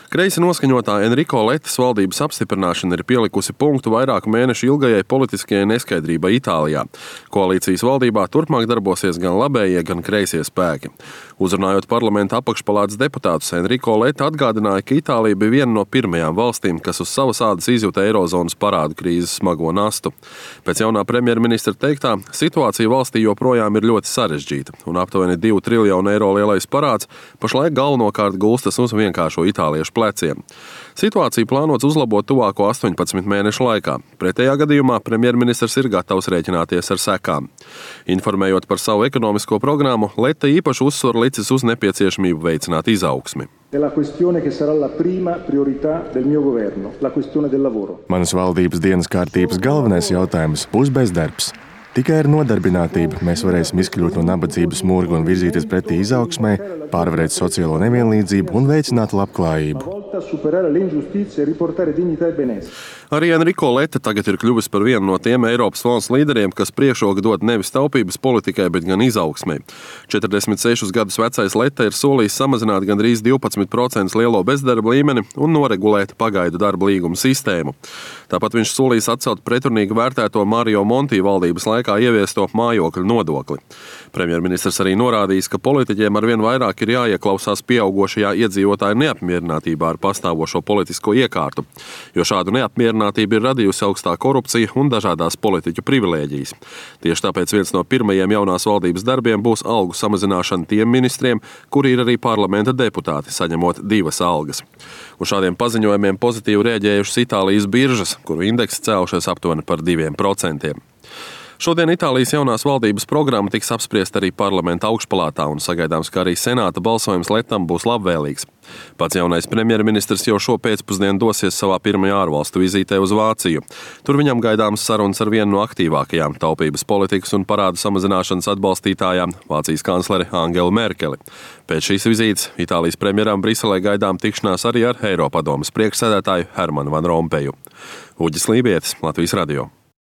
Kreisi noskaņotā Enrico Lettas valdības apstiprināšana ir pielikusi punktu vairāku mēnešu ilgajai politiskajai neskaidrībai Itālijā. Koalīcijas valdībā turpmāk darbosies gan labējie, gan kreisie spēki. Uzrunājot parlamenta apakšpalātes deputātus, Enrico Letta atgādināja, ka Itālija bija viena no pirmajām valstīm, kas uz savas ādas izjuta eirozonas parādu krīzes smago nastu. Pēc jaunā premjerministra teiktā, situācija valstī joprojām ir ļoti sarežģīta, un aptuveni 2 triljonu eiro lielais parāds pašlaik galvenokārt gulstas uz vienkāršo itāliešu pleciem. Situāciju plānots uzlabot tuvāko 18 mēnešu laikā. Pretējā gadījumā premjerministrs ir gatavs rēķināties ar sekām. Informējot par savu ekonomisko programmu, Letta īpaši uzsvaru licis uz nepieciešamību veicināt izaugsmi. Manas valdības dienas kārtības galvenais jautājums būs bezdarbs. Tikai ar nodarbinātību mēs varēsim izkļūt no nabadzības murga un virzīties pretī izaugsmai, pārvarēt sociālo nevienlīdzību un veicināt labklājību. Arī Enrico Letta tagad ir kļuvis par vienu no tiem Eiropas valsts līderiem, kas priekšroku dod nevis taupības politikai, bet gan izaugsmai. 46 gadus vecais Letta ir solījis samazināt gandrīz 12% lielo bezdarba līmeni un noregulēt pagaidu darba līgumu sistēmu. Tāpat viņš solījis atcelt pretrunīgi vērtēto Mario Monti valdības laikā ieviesto mājokļu nodokli. Premjerministrs arī norādījis, ka politiķiem arvien vairāk ir jāieklausās pieaugošajā iedzīvotāju neapmierinātībā ar pastāvošo politisko iekārtu, jo šādu neapmierinātību ir radījusi augstā korupcija un dažādās politiķu privilēģijas. Tieši tāpēc viens no pirmajiem jaunās valdības darbiem būs algu samazināšana tiem ministriem, kuri ir arī parlamenta deputāti, saņemot 2 algas. Uz šādiem paziņojumiem pozitīvi rēģējušas Itālijas biržas, kuru indeks cēlušies aptuveni par 2%. Šodien Itālijas jaunās valdības programma tiks apspriesta arī parlamenta augšpalātā un sagaidāms, ka arī senāta balsojums Lettam būs labvēlīgs. Pats jaunais premjerministrs jau šo pēcpusdienu dosies savā pirmajā ārvalstu vizītē uz Vāciju. Tur viņam gaidāms sarunas ar vienu no aktīvākajām taupības politikas un parādu samazināšanas atbalstītājām, Vācijas kancleri Angelu Merkeli. Pēc šīs vizītes Itālijas premjeram Briselē gaidām tikšanās arī ar Eiropadomes priekšsēdētāju Hermanu Van Rompeju. Uģis Lībietis, Latvijas radio.